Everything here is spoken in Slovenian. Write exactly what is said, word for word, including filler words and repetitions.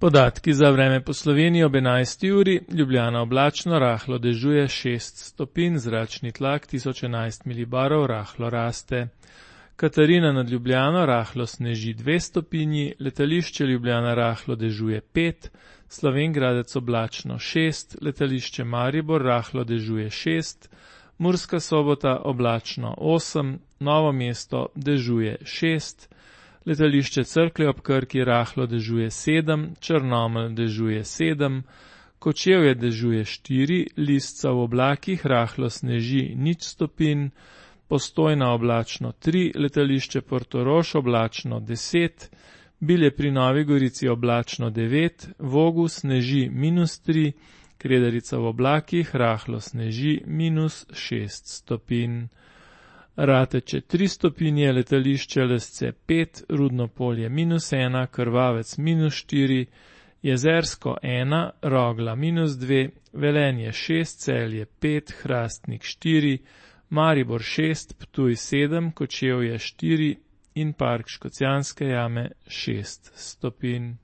Podatki za vreme po Sloveniji ob enajsti uri, Ljubljana oblačno, rahlo dežuje šest stopinj, zračni tlak tisoč enajst milibarov, rahlo raste. Katarina nad Ljubljano, rahlo sneži dve stopinji, letališče Ljubljana rahlo dežuje pet, Slovenj Gradec oblačno šest, letališče Maribor rahlo dežuje šest, Murska Sobota oblačno osem, Novo mesto dežuje šest, letališče Cerklje ob Krki rahlo dežuje sedem, Črnomelj dežuje sedem, Kočevje dežuje štiri, Lisca v oblakih rahlo sneži nič stopinj, Postojna oblačno tri, letališče Portorož oblačno deset, Bilje pri Novi Gorici oblačno devet, Vogu sneži minus tri, Kredarica v oblakih rahlo sneži minus šest stopinj. Rateče tri stopinje, letališče Lesce pet, Rudno Polje minus ena, Krvavec minus štiri, Jezersko ena, Rogla minus dve, Velenje šest, Celje pet, Hrastnik štiri, Maribor šest, Ptuj sedem, Kočevje štiri in Park Škocjanske jame šest stopinj.